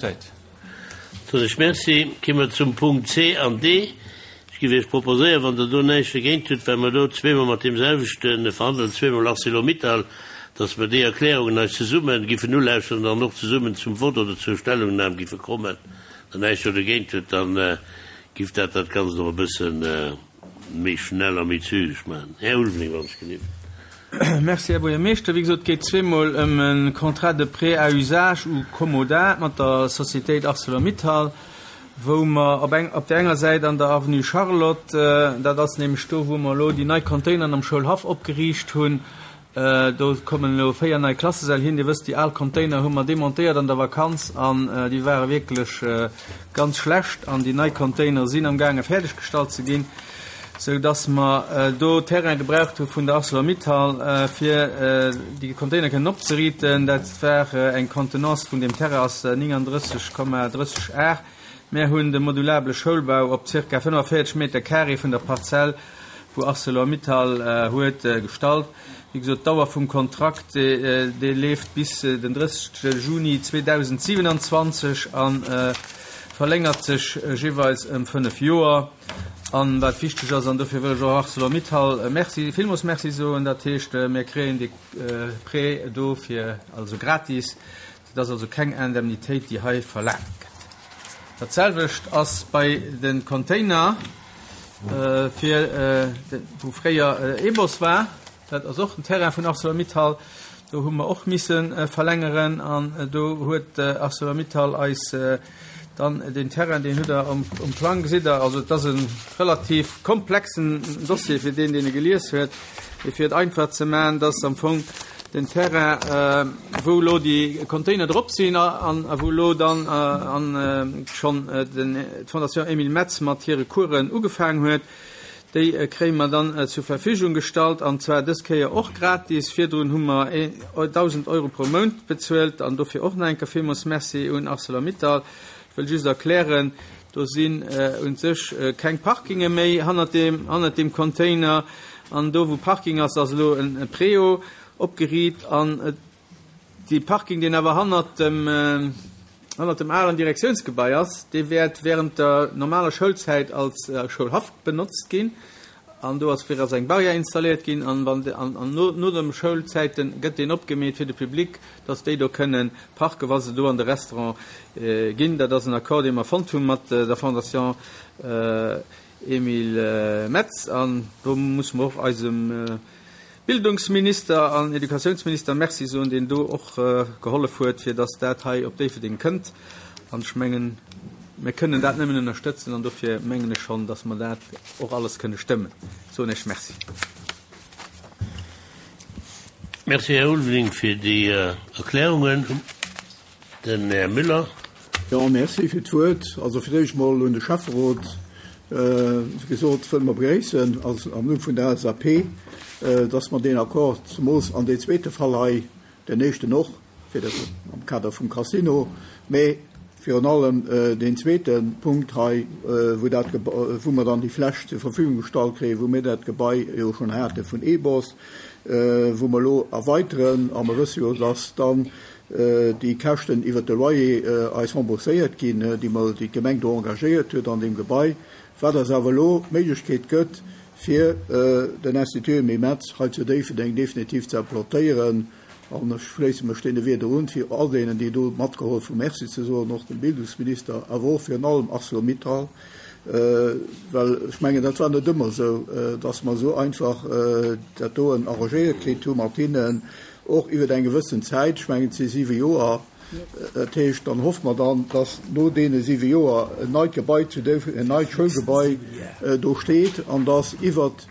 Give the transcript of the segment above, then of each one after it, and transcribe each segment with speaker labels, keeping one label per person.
Speaker 1: Zäit.
Speaker 2: Soen ech Merci. Ki mer zum Punkt C an D. Ech géif Iech proposéieren, wann Der do näischt dergéint hutt, well mer do zweemol mat deemselwechte verhandelen, zweemol Arcelor-Mittal, dass mer déi Erklärungen eis zesumme giffen ulauschteren an dann och zesummen zum Vott oder zur Stellungnam giffe kommen. Wann Der näischt do dergéint hutt, da giff dat dat Ganzt och e bësse méi schnell a méi zügeg maachen. Här Ulveling, wann ech gelift.
Speaker 1: Merci, Här Buergermeeschter. Wéi gesot, et geet zweemol ëm e Contrat de prêt à usage ou commodat mat der Sociétéit Arcelor-Mittal, wou mer op eng, op där enger Säit an der Avenue Charlotte, dat ass nämlech do, wou mer elo déi nei Containeren am Schoulhaff opgeriicht hunn, Do kommen elo 4 nei Klassesäll hin. Dir wësst, déi al Container hu mer demontéiert an der Vakanz an déi ware wierklech ganz schlecht. An déi nei Container sinn am gaange fäerdeg gestallt ze ginn, sou dass mer do Terrain gebraucht hu vun der Arcelor-Mittal, fir déi Container kënnen opzeriiten. Dat war eng Contenance vun deem Terrain ass 39,30 Ar. Mär hunn de modulabele Schoulbau op zirka 45 Meter carré vun der Parzell, wou Arcelor-Mittal huet, gestallt. Wéi gesot, d'Dauer vum Kontrakt, dee leeft bis den 30 Juni 2027 a verlängert sech jeeweils ëm 5 Joer. An wat wichteg ass, an dofir wëll ech och Arcelor-Mittal Merci, villmools Merci soen, dat heescht, mir kréien dee Prêt do fir, also gratis, Et ass also keng Indemnitéit, déi hei verlaangt gëtt. Dat selwecht ass bei de Container, fir wou fréier Ebos war. Dat ass och den Terrain vun Arcelor-Mittal. Do hu mer och misse verlängeren an do huet Arcelor-Mittal eis dann deen Terrain, deen hutt Der um Plang, gesitt Der. Also et ass e relativ komplexen Dossier fir deen, deen e gelies huet. Mee fir et einfach ze maachen, dass am Fong den Terrain, wou elo déi Container drop sinn an wou elo dann schonn d'Fondation Emile Metz mat hire Coursen ugefaangen huet, déi kréie mer dann zur Verfügung gestallt, an zwar dës Kéier och gratis. Virdrun hu mer 1.000 Euro pro Mount bezuelt an dofir och nach eng Kéier villmools Merci un Arcelor-Mittal. Ech wëll just erklären, Do sinn un sech keng Parkinge méi hannert deem, hannert deem Container. An do, wou Parking ass, ass elo e Préau opgeriit. An dee Parking, deen awer hannert dem, hannert dem alen Direktiounsgebai ass, dee wäert während der normaler Schoulzäit als Schoulhaff benotzt ginn. An do ass fir ass eng Barrière installéiert ginn an wann an an no no de Schoulzäiten gëtt deen opgemeet fir de Public, dass déi do kënnen parken, wa se do an de Restaurant ginn. Dat ass en Accord, dee mer fonnt hu mat der Fondation Emile Metz an do musse mer och eisem Bildungsminister an Educatiounsminister Merci soen, deen do och gehollef huet, fir dass dat hei op Déifferdeng kënnt. An ech mengen, mir kënnen dat nëmmen ënnerstëtzen an dofir mengen ech schonn, dass mer dat och alles kënne stëmmen. Soen Iech Merci.
Speaker 2: Merci, Här Ulveling, fir déi Erklärungen. Den Här Müller.
Speaker 3: Jo, merci fir d'Wuert. Also fir d'éischt mol un de Schäfferot, wéi gesot, wëlle mer begréissen als am Numm vun der LSAP, dass mer deen Accord, zemoos an dee zweete Fall hei, den éischten och, fir de, am Kader vum Casino, mä virun allem deen zweete Punkt hei, wou dat, wou mer dann déi Fläch zur Verfügung gestallt kréien, wou mir dat Gebai jo schonn hate vun EBOS, wou mer elo erweiteren. A mer wësse jo, dass dann déi Käschten iwwert de Loyer eis rembourséiert ginn, déi mer, déi d'Gemeng do engagéiert huet an deem Gebai, wat eis awer elo d'Méiglechkeet gëtt, fir den Institut Emile Metz hei zu Déifferdeng definitiv ze implantéieren. An ech schléisse mech deene Wierder un, fir all deenen, déi do matgeholf hunn, Merci ze soen, och dem Bildungsminister, awer och virun allem Arcelor-Mittal, well ech mengen, dat war net ëmmer esou, dass mer esou einfach dat doen arrangéiert kritt hu mat hinnen. Och iwwer eng gewëssen Zäit, ech mengen et si siwe Joer, dat heescht, dann hoffe mer dann, dass no deene siwe Joer en neit Gebai zu Déifferdeng, en neit Schoulgebai do steet an dass iwwert,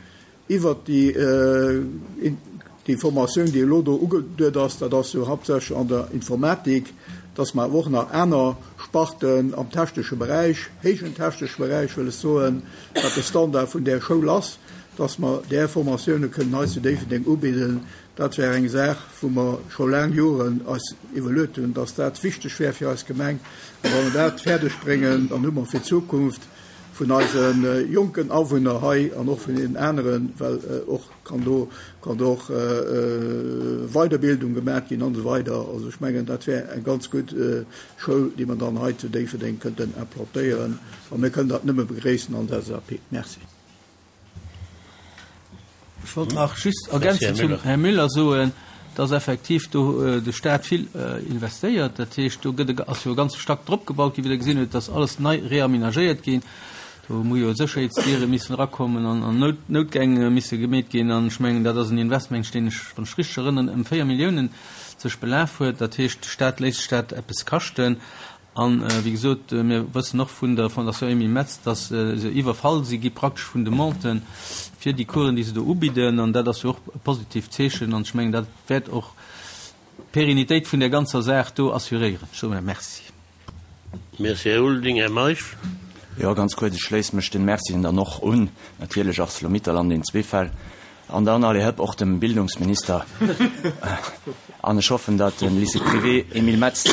Speaker 3: iwwert déi, déi Formatioun, déi elo do ugeduet ass, dat ass jo haaptsächlech an der Informatik, dass mer awer och nach aner Sparten am technesche Beräich, héijen technesche Beräich wëll ech soen, wat de Standard vun där Schoul ass, dass mer där Formatioune kënnen hei zu Déifferdeng ubidden. Dat wär eng Saach, wou mer scho laang Joren eis iwwerluet hunn, dass dat wichteg wär fir eis Gemeng. A wa mer dat fäerdeg bréngen, dann hu mer fir d'Zukunft. vun eise jonken Awunner hei an och vun deenen aneren, well och kann do kann do och Weiderbildung gemaach ginn an esou weider. Also ech mengen, dat wär eng ganz gutt Schoul, déi mer dann hei zu Déifferdeng kënnten implantéieren. A mir kënnen dat nëmme begréissen als LSAP. Merci.
Speaker 1: Ech wollt nach just ergänzend zum Här Müller soen, dass effektiv do de Stat vill investéiert. Dat heescht, do gëtt e, ass jo e ganze Stack drop gebaut ginn, wéi Der gesinn hutt, dass alles nei reaménagéiert ginn. Do hu jo Sécherheetsdiere missen erakommen an an Nout, Noutgäng misse gemeet ginn. An ech mengen, dat ass en Investment, deen ech, wann ech richteg erënneren, ëm 4 Milliounen sech belaf huet. Dat heescht, de Stat léisst sech dat eppes kaschten. An, wéi gesot, mir wëssen och vun der Fondation Emile Metz, dass se iwwerfall si gi praktesch vun Demanden fir déi Coursen, déi se do ubidden. An dat ass jo och e positivt Zeechen. An ech mengen, dat wäert och d'Pérennitéit vun där ganzer Saach do assuréieren. Ech soe Merci.
Speaker 2: Merci, Här Ulveling. Här Meisch.
Speaker 4: Jo, ganz kuerz, Ech schléisse mech den Mercien dann och un, natierlech Arcelor-Mittal an den zwee Fäll. An dann, allez hëpp, och dem Bildungsminister. An ech hoffen, datt de Lycée privé Emile Metz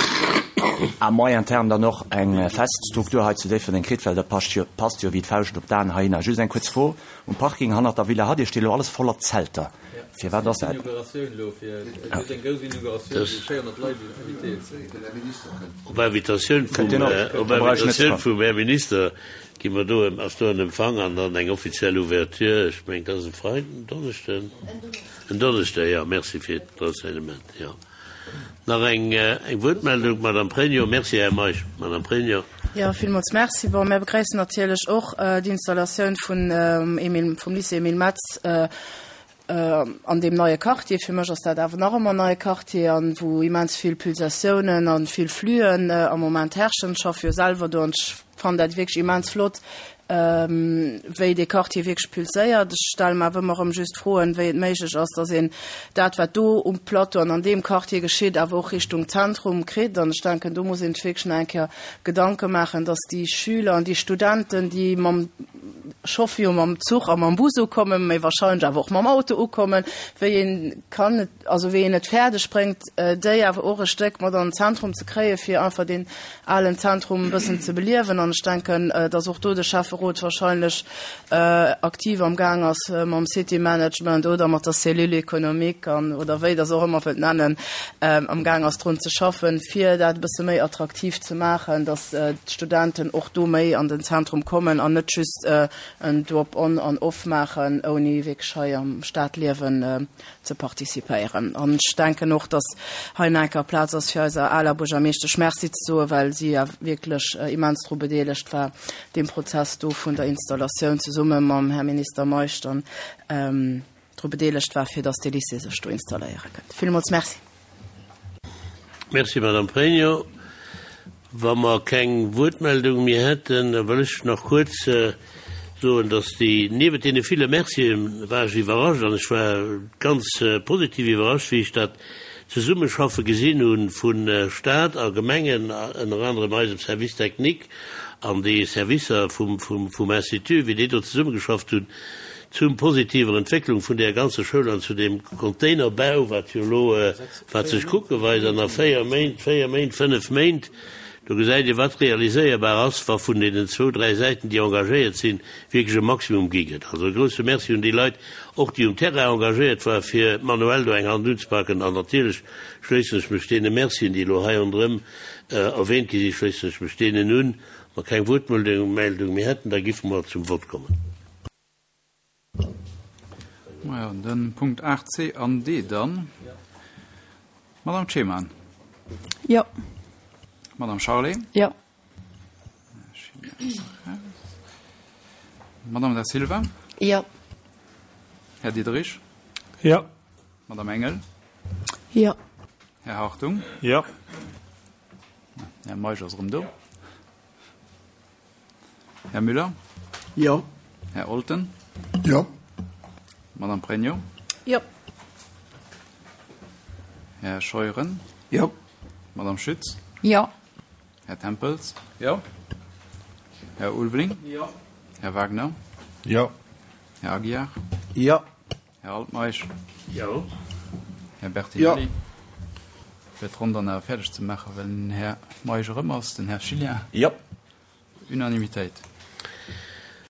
Speaker 4: à moyen terme dann och eng fest Struktur hei zu Déifferdeng kritt, well dat passt jo, passt jo wéi d'Fauscht op d'Aen heihinner. Just eng kuerz Fro, Um Parking hannert der Villa Hadir steet elo alles voller Zelter. Firwat ass dat?
Speaker 2: Op Invitatioun vum Här Minister Gi mer do, ass do en Empfang an dann eng offiziell Ouverture? Ech mengen, et ass e Freiden, en Donneschden? En Donneschden, jo. Merci fir d'Renseignement, jo. Nach eng, eng Wuertmeldung, d'Madame Pregno. Merci, Här Meisch. Madame Pregno.
Speaker 5: Jo, villmools Merci. Bon, mär begréissen natierlech och d'Installatioun vun Emile, vum Lycée Emile Metz An deem neie Quartier, fir mech ass dat awer nach ëmmer en neie Quartier, an wou immens vill Pulsatiounen a vill Flüen am Moment herrschen. Ech schaffe jo selwer do an ech fannen dat wierklech immens flott, wéi dee Quartier wierklech pulséiert. Ech stelle mer awer ëmmer erëm just Froen, wéi et méiglech ass, dass een dat, wat do um Plateau an an deem Quartier geschitt, awer och Richtung Zentrum kritt. An ech denken, do muss een sech wierklech nach eng Kéier Gedanke maachen, dass déi Schüler an déi Studenten, déi mam Chauffer jo mam Zuch a mam Bus ukommen, méi wahrscheinlech awer och mam Auto ukommen, wéi een kann et, also wéi een et fäerdeg bréngt, déi awer och e Stéck mat an den Zentrum ze kréien, fir einfach deen alen Zentrum e bëssen ze beliewen. An ech denken, dass och do de Schäfferot wahrscheinlech aktiv am Gaang ass mam City Management oder mat der Cellule économique an, oder wéi Der se och ëmmer wëllt nennen, am Gaang ass drun ze schaffen, fir dat e bësse méi attraktiv ze maachen, dass d'Studenten och do méi an den Zentrum kommen an net just en Drop-on an off maachen, ouni wierklech hei am Stadliewen ze participéieren. An ech denken och, dass hei nach eng Kéier Plaz ass, fir eiser aler Buergermeeschtesch Merci ze soen, well si ja wierklech immens dru bedeelegt war, deem Prozess do vun der Installatioun zesumme mam Här Minister Meisch dann dru bedeelegt war, fir dass dee Lycée sech do installéiere kënnt. Villmools Merci.
Speaker 2: Merci, Madame Pregno. Wa mer keng Wuertmeldung méi hätten, da wëll ech nach kuerz soen, dass déi, niewent deene ville Mercien war ech iwwerrascht, an ech war ganz positiv iwwerrascht, wéi ech dat Zesummeschaffe gesinn hu vu Stat a Gemengen, ënner anerem eisem Service technique an de Servicer vum Institut, wéi déi do zesummegeschafft hunn zum positiver Entwécklung vun där ganzer Schoul an zu deem Containerbau, wat jo elo, wat sech kucke weist an a véier Méint, véier Méint, fënnef Méint, do gesäit ee wat realiséierbar ass, wa vun deenen zwou, dräi Säiten, déi engagéiert sinn, wierklech e Maximum gi gëtt. Also e grouse Merci un déi Leit, och déi um Terrain engagéiert waren, fir manuell do eng Hand unzepaken. An natierlech schléissen ech mech deene Mercien, déi elo hei ronderëm erwähnt gi sinn, schléissen ech mech deenen un. Wa keng Wuertmeldung méi hätten, da giffe mer zum Vott kommen.
Speaker 6: Majo, den Punkt 8 C an D dann. Madame Ceman.
Speaker 5: Jo.
Speaker 6: Madame Charlé.
Speaker 5: Jo.
Speaker 6: Madame Da Silva.
Speaker 5: Jo.
Speaker 6: Här Diderich.
Speaker 7: Jo.
Speaker 6: Madame Engel.
Speaker 5: Jo.
Speaker 6: Här Hartung.
Speaker 7: Jo.
Speaker 6: Här Meisch ass erëm do. Här Müller?
Speaker 3: Jo.
Speaker 6: Här Olten?
Speaker 3: Jo.
Speaker 6: Madame Pregno?
Speaker 5: Jo.
Speaker 6: Här Scheuren?
Speaker 3: Jo.
Speaker 6: Madame Schütz?
Speaker 5: Jo.
Speaker 6: Här Tempels?
Speaker 1: Jo.
Speaker 6: Här Ulveling?
Speaker 1: Jo.
Speaker 6: Här Wagner?
Speaker 7: Jo.
Speaker 6: Här Aguiar?
Speaker 3: Jo.
Speaker 6: Här Altmeisch?
Speaker 2: Jo.
Speaker 6: Här Bertinelli? Jo. Fir d'Ronn dann awer fäerdeg ze maachen, well den Här Meisch erëm ass, den Här Schilien?
Speaker 4: Jo.
Speaker 6: Unanimitéit.